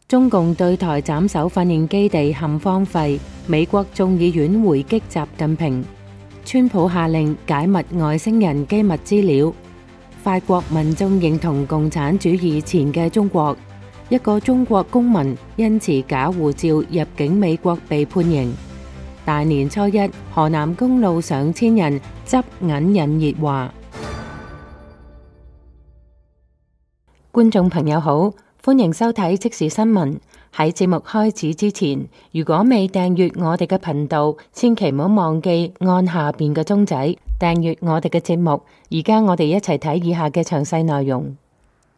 中共對台斬首訓練基地陷荒廢，美國眾議院回擊習近平，川普下令解密外星人機密資料，法國民眾認同共產主義前嘅中國，一個中國公民因持假護照入境美國被判刑。大年初一，河南公路上千人執銀引熱話。觀眾朋友好，歡迎收睇即時新聞。喺節目開始之前，如果未訂閱我哋嘅頻道，千祈唔好忘記按下邊嘅鐘仔訂閱我哋嘅節目。而家我哋一齊睇以下嘅詳細內容。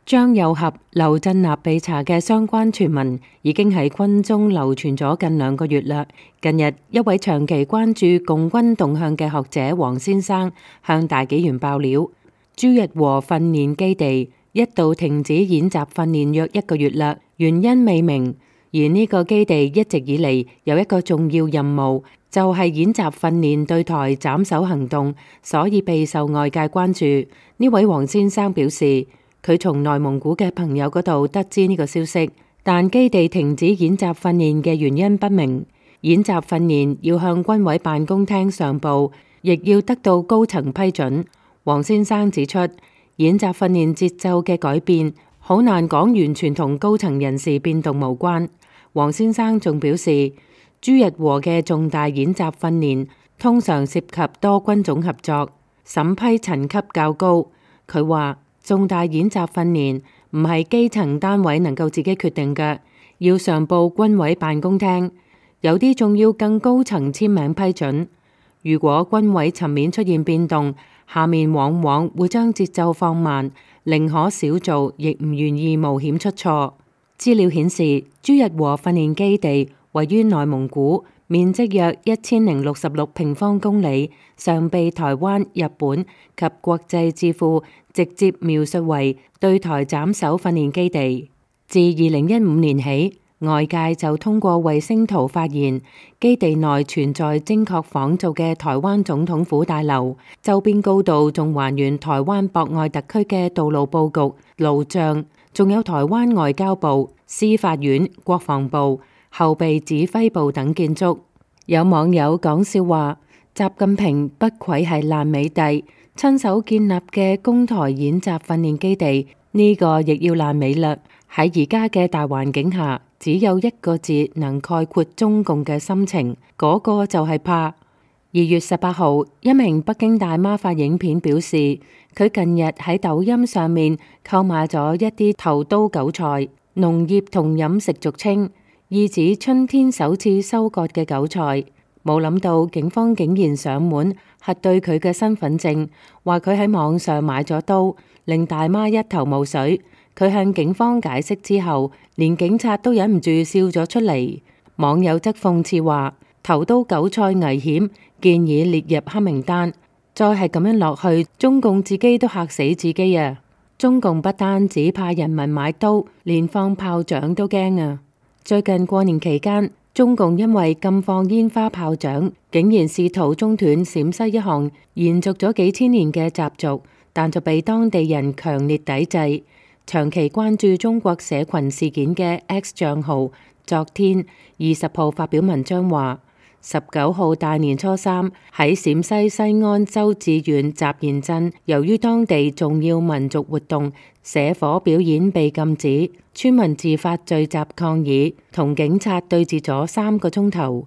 張又俠、劉振立被查嘅相關傳聞已經喺軍中流傳咗近2個月啦。近日，一位長期關注共軍動向嘅學者黃先生向大紀元爆料，朱日和訓練基地一度停止演習訓練約1個月啦，原因未明。而呢個基地一直以嚟有一個重要任務，就係演習訓練對台斬首行動，所以備受外界關注。呢位黃先生表示，佢從內蒙古嘅朋友嗰度得知呢個消息，但基地停止演習訓練嘅原因不明。演習訓練要向軍委辦公廳上報，亦要得到高層批准。黃先生指出，演習訓練節奏嘅改變好難講完全同高層人事變動無關。黃先生仲表示，朱日和嘅重大演習訓練通常涉及多軍種合作，審批層級較高。佢話重大演習訓練唔係基層單位能夠自己決定嘅，要上報軍委辦公廳，有啲仲要更高層簽名批准。如果軍委層面出現變動，下面往往會將節奏放慢，寧可少做，亦唔願意冒險出錯。資料顯示，朱日和訓練基地位於內蒙古，面積約1066平方公里，常被台灣、日本及國際智庫直接描述為對台斬首訓練基地。自2015年起，外界就通過衛星圖發現，基地內存在精確仿造嘅台灣總統府大樓，周邊高度仲還原台灣博愛特區嘅道路佈局、路障，仲有台灣外交部、司法院、國防部、後備指揮部等建築。有網友講笑話，習近平不愧係爛尾帝，親手建立嘅攻台演習訓練基地，呢個亦要爛尾啦。喺而家嘅大環境下，只有一個字能概括中共嘅心情，嗰個就係怕。2月18號，一名北京大媽發影片表示，佢近日喺抖音上面購買咗一啲頭刀韭菜，農業同飲食俗稱，意指春天首次收割嘅韭菜。冇諗到警方竟然上門核對佢嘅身份證，話佢喺網上買咗刀，令大媽一頭霧水。佢向警方解釋之後，連警察都忍唔住笑咗出嚟。網友則諷刺話，頭刀韭菜危險，建議列入黑名單。再係咁樣落去，中共自己都嚇死自己啊！中共不單只怕人民買刀，連放炮仗都驚啊！最近過年期間，中共因為禁放煙花炮仗，竟然試圖中斷陝西一項延續咗幾千年嘅習俗，但就被當地人強烈抵制。長期關注中國社群事件嘅 X 賬號，昨天20號發表文章話，19號大年初3喺陝西西安周至縣集賢鎮，由於當地重要民族活動社火表演被禁止，村民自發聚集抗議，同警察對峙咗3個鐘頭。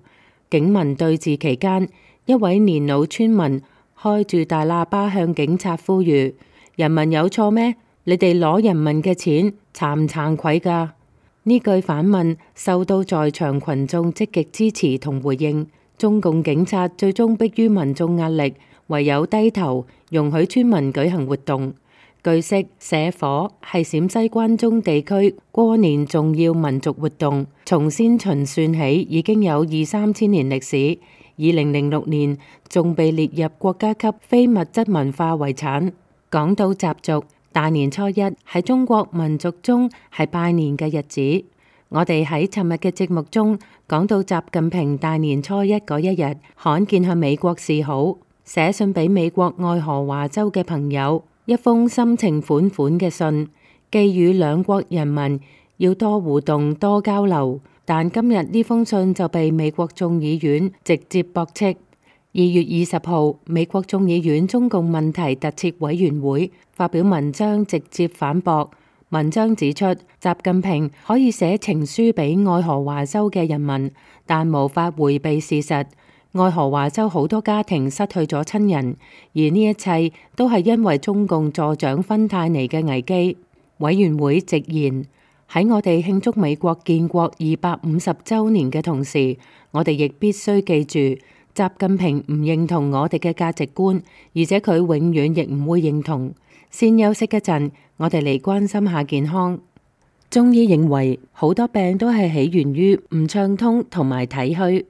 警民對峙期間，一位年老村民開住大喇叭向警察呼籲：人民有錯咩？你哋攞人民嘅錢，慚唔慚愧㗎？呢句反問受到在場群眾積極支持同回應，中共警察最終迫於民眾壓力，唯有低頭容許村民舉行活動。據悉，社火係陝西關中地區過年重要民族活動，從先秦算起已經有2-3千年歷史，2006年仲被列入國家級非物質文化遺產。講到習俗，大年初一喺中國民族中係拜年嘅日子。我哋喺尋日嘅節目中講到，習近平大年初一嗰一日罕見向美國示好，寫信俾美國愛荷華州嘅朋友，一封深情款款嘅信，寄予兩國人民要多互動、多交流。但今日呢封信就被美國眾議院直接駁斥。2月20號，美國眾議院中共問題特設委員會發表文章，直接反駁。文章指出，習近平可以寫情書俾愛荷華州嘅人民，但無法迴避事實。愛荷華州好多家庭失去咗親人，而呢一切都係因為中共助長芬太尼嘅危機。委員會直言，喺我哋慶祝美國建國250週年嘅同時，我哋亦必須記住，習近平唔認同我哋嘅價值觀，而且佢永遠亦唔會認同。先休息一陣，我哋嚟關心下健康。中醫認為，好多病都係起源於唔暢通同埋體虛。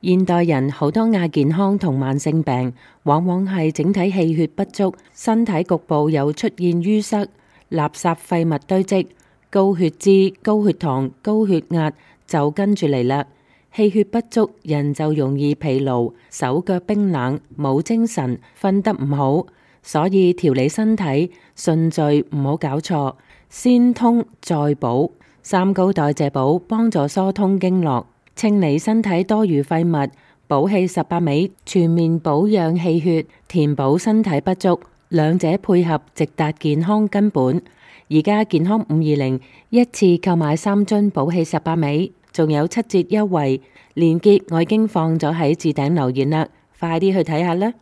現代人好多亞健康同慢性病，往往係整體氣血不足，身體局部有出現淤塞、垃圾廢物堆積、高血脂、高血糖、高血壓就跟住嚟啦。氣血不足，人就容易疲勞、手腳冰冷、冇精神、瞓得唔好。所以調理身體順序唔好搞錯，先通再補。三高代謝補幫助疏通經絡，清理身體多餘廢物，補氣18味，全面保養氣血，填補身體不足，兩者配合直達健康根本。而家健康520一次購買3樽補氣18味，仲有7折優惠，連結我已經放咗喺置頂留言啦，快啲去睇下啦！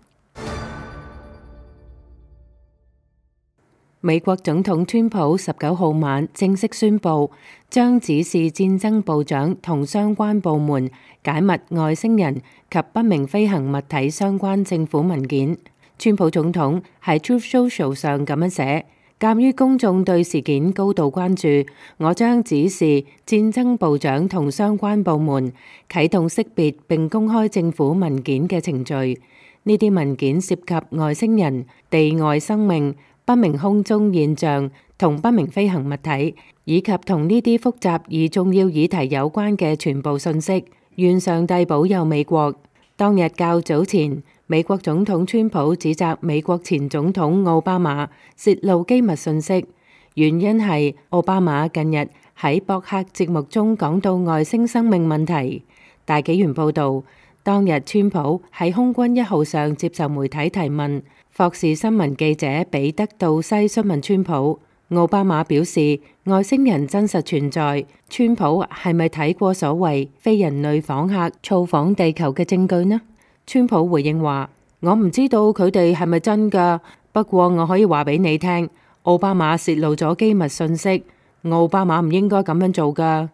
美國總統川普19號晚正式宣布，將指示戰爭部長同相關部門解密外星人及不明飛行物體相關政府文件。川普總統喺 Truth Social 上咁樣寫：鑑於公眾對事件高度關注，我將指示戰爭部長同相關部門啟動識別並公開政府文件嘅程序。呢啲文件涉及外星人、地外生命、不明空中現象同不明飛行物體，以及同呢啲複雜而重要議題有關嘅全部信息。願上帝保佑美國。當日較早前，美國總統川普指責美國前總統奧巴馬洩露機密信息，原因係奧巴馬近日喺博客節目中講到外星生命問題。大紀元報道，當日川普喺空軍1號上接受媒體提問。霍士新聞記者彼得道西詢問川普，奧巴馬表示外星人真實存在，川普係咪睇過所謂非人類訪客造訪地球嘅證據呢？川普回應話：我唔知道佢哋係咪真㗎，不過我可以話俾你聽，奧巴馬洩露咗機密信息，奧巴馬唔應該咁樣做㗎。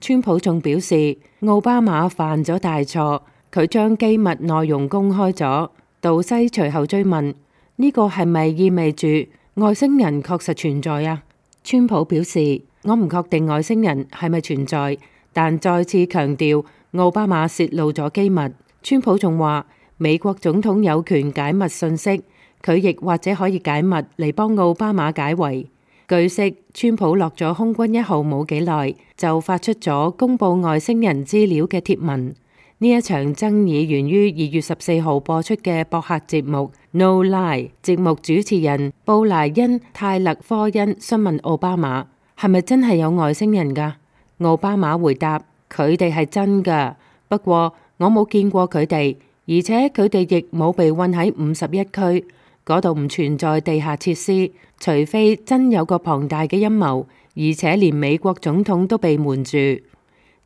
川普仲表示奧巴馬犯咗大錯，佢將機密內容公開咗。道西隨後追問：呢個係咪意味住外星人確實存在啊？川普表示：我唔確定外星人係咪存在，但再次強調奧巴馬洩露咗機密。川普仲話：美國總統有權解密信息，佢亦或者可以解密嚟幫奧巴馬解圍。據悉，川普落咗空軍1號冇幾耐，就發出咗公佈外星人資料嘅貼文。呢一場爭議源於2月14號播出嘅博客節目 No Lie， 節目主持人布萊恩泰勒科恩詢問奧巴馬係咪真係有外星人㗎？奧巴馬回答：佢哋係真㗎，不過我冇見過佢哋，而且佢哋亦冇被困喺51區，嗰度唔存在地下設施，除非真有個龐大嘅陰謀，而且連美國總統都被瞞住。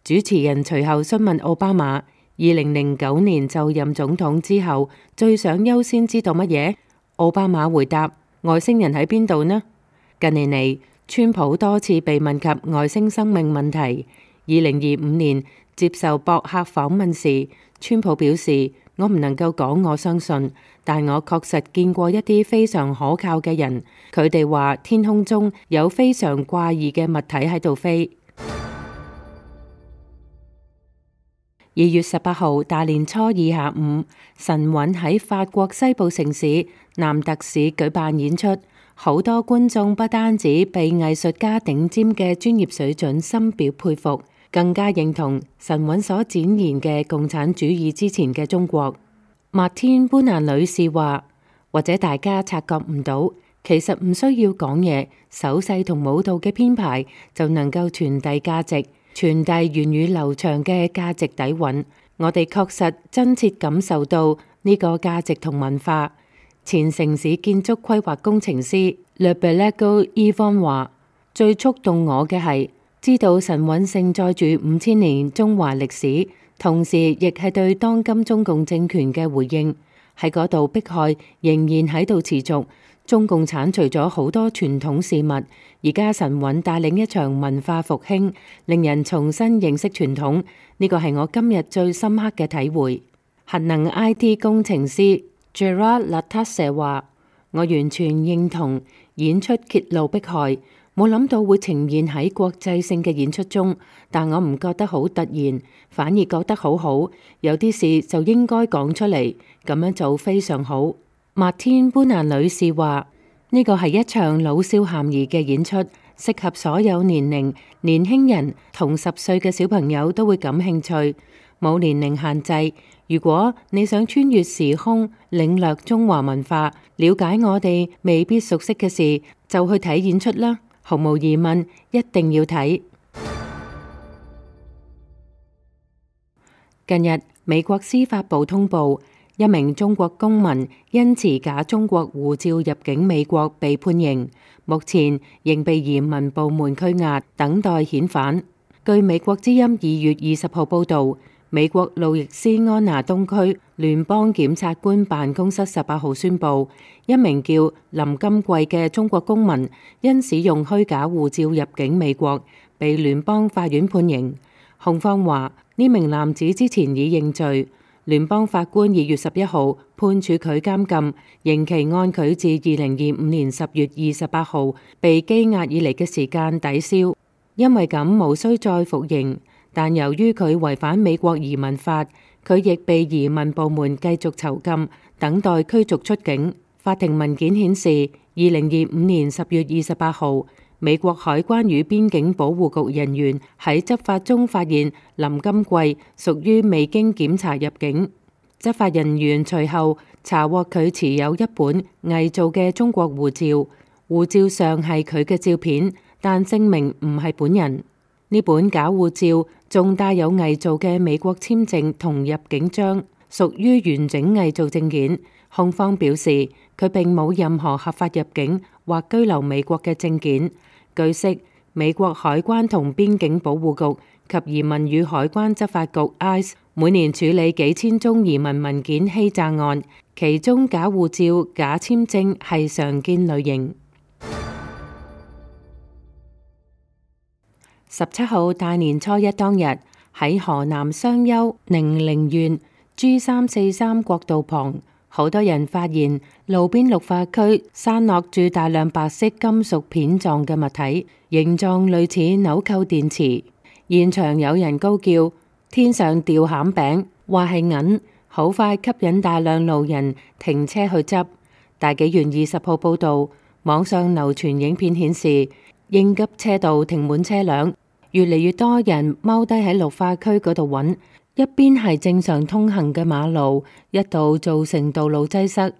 主持人隨後詢問奧巴馬：2009年就任總統之後，最想優先知道乜嘢？奧巴馬回答：外星人喺邊度呢？近年嚟，川普多次被問及外星生命問題。2025年接受博客訪問時，川普表示：我唔能夠講我相信，但我確實見過一啲非常可靠嘅人，佢哋話天空中有非常怪異嘅物體喺度飛。2月18號大年初二下午，神韻喺法國西部城市南特市舉辦演出，好多觀眾不單止被藝術家頂尖嘅專業水準深表佩服，更加認同神韻所展現嘅共產主義之前嘅中國。麥天搬蘭女士話：或者大家察覺唔到，其實唔需要講嘢，手勢同舞蹈嘅編排就能夠傳遞價值，傳遞源遠流長嘅價值底蘊。我哋確實真切感受到呢個價值同文化。前城市建築規劃工程師 Le Bellego Yvonne 話：最觸動我嘅係知道神韻盛載住5000年中華歷史，同時亦係對當今中共政權嘅回應。喺嗰度迫害仍然喺度持續，中共剷除咗好多傳統事物，而家神韻帶領一場文化復興，令人重新認識傳統。呢個係我今日最深刻嘅體會。核能 IT 工程師 Gerard Lattasse 話：我完全認同演出揭露迫害，冇諗到會呈現喺國際性嘅演出中，但我唔覺得好突然，反而覺得好好。有啲事就應該講出嚟，咁樣做非常好。麥天搬蘭女士話：呢個係一場老少咸宜嘅演出，適合所有年齡，年輕人同10歲嘅小朋友都會感興趣，冇年齡限制。如果你想穿越時空，領略中華文化，了解我哋未必熟悉嘅事，就去睇演出啦。毫無疑問，一定要睇。近日，美國司法部通報，一名中國公民因持假中國護照入境美國被判刑，目前仍被移民部門拘押，等待遣返。據美國之音2月20號報導，美國路易斯安那東區聯邦檢察官辦公室18號宣佈，一名叫林金貴嘅中國公民因使用虛假護照入境美國，被聯邦法院判刑。控方話呢名男子之前已認罪。聯邦法官2月11號判處佢監禁，刑期按佢自2025年10月28號被羈押以嚟嘅時間抵消，因為咁無需再服刑。但由於佢違反美國移民法，佢亦被移民部門繼續囚禁，等待驅逐出境。法庭文件顯示，2025年10月28號，美國海關與邊境保護局人員喺執法中發現林金貴屬於未經檢查入境。執法人員隨後查獲佢持有一本偽造嘅中國護照，護照上係佢嘅照片，但證明唔係本人。呢本假護照仲帶有偽造嘅美國簽證同入境章，屬於完整偽造證件。控方表示，佢並冇任何合法入境或居留美國嘅證件。據悉，美國海關同邊境保護局及移民與海關執法局 ICE 每年處理幾千宗移民文件欺詐案，其中假護照、假簽證係常見類型。17號大年初一當日，喺河南商丘寧陵縣 G343 國道旁，好多人發現路邊綠化區散落住大量白色金屬片狀嘅物體，形狀類似紐扣電池。現場有人高叫天上掉餡餅，話係銀，好快吸引大量路人停車去執。大紀元20號報道，網上流傳影片顯示，應急車道停滿車輛，越嚟越多人踎低喺綠化區嗰度揾。一邊係正常通行嘅馬路，一度造成道路擠塞。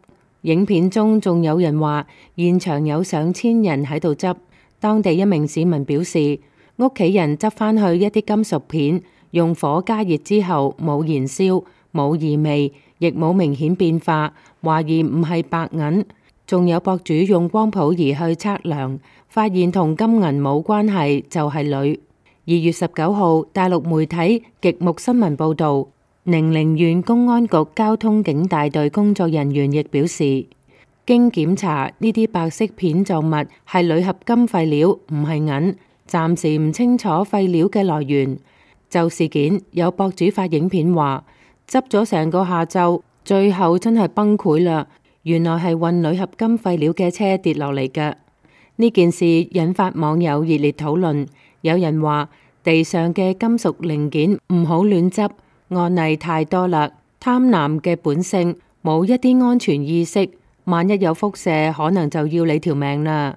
影片中仲有人話，現場有上千人喺度執。當地一名市民表示，屋企人執返去一啲金屬片，用火加熱之後冇燃燒、冇異味，亦冇明顯變化，懷疑唔係白銀。仲有博主用光譜儀去測量，發現同金銀冇關係，就係鋁。2月19號，大陸媒體極目新聞報導，寧陵縣公安局交通警大隊工作人員亦表示，經檢查呢啲白色片狀物係鋁合金廢料，唔係銀，暫時唔清楚廢料嘅來源。就事件，有博主發影片話，執咗成個下晝，最後真係崩潰啦！原來係運鋁合金廢料嘅車跌落嚟嘅。呢件事引發網友熱烈討論。有人話地上嘅金屬零件唔好亂執，案例太多啦。貪婪嘅本性，冇一啲安全意識，萬一有輻射，可能就要你條命啦。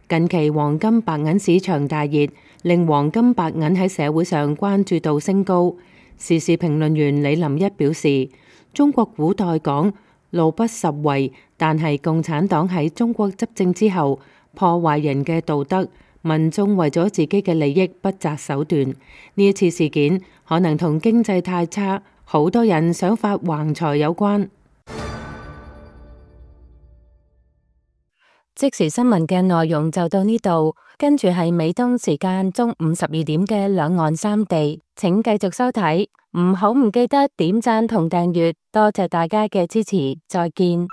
近期黃金白銀市場大熱，令黃金白銀喺社會上關注度升高。時事評論員李林一表示，中國古代講路不拾遺，但係共產黨喺中國執政之後，破壞人嘅道德，民眾為咗自己嘅利益不擇手段。呢一次事件可能同經濟太差，好多人想發橫財有關。即時新聞嘅內容就到呢度，跟住係美東時間中午12點嘅兩岸三地，請繼續收睇，唔記得點讚同訂閱，多謝大家嘅支持，再見。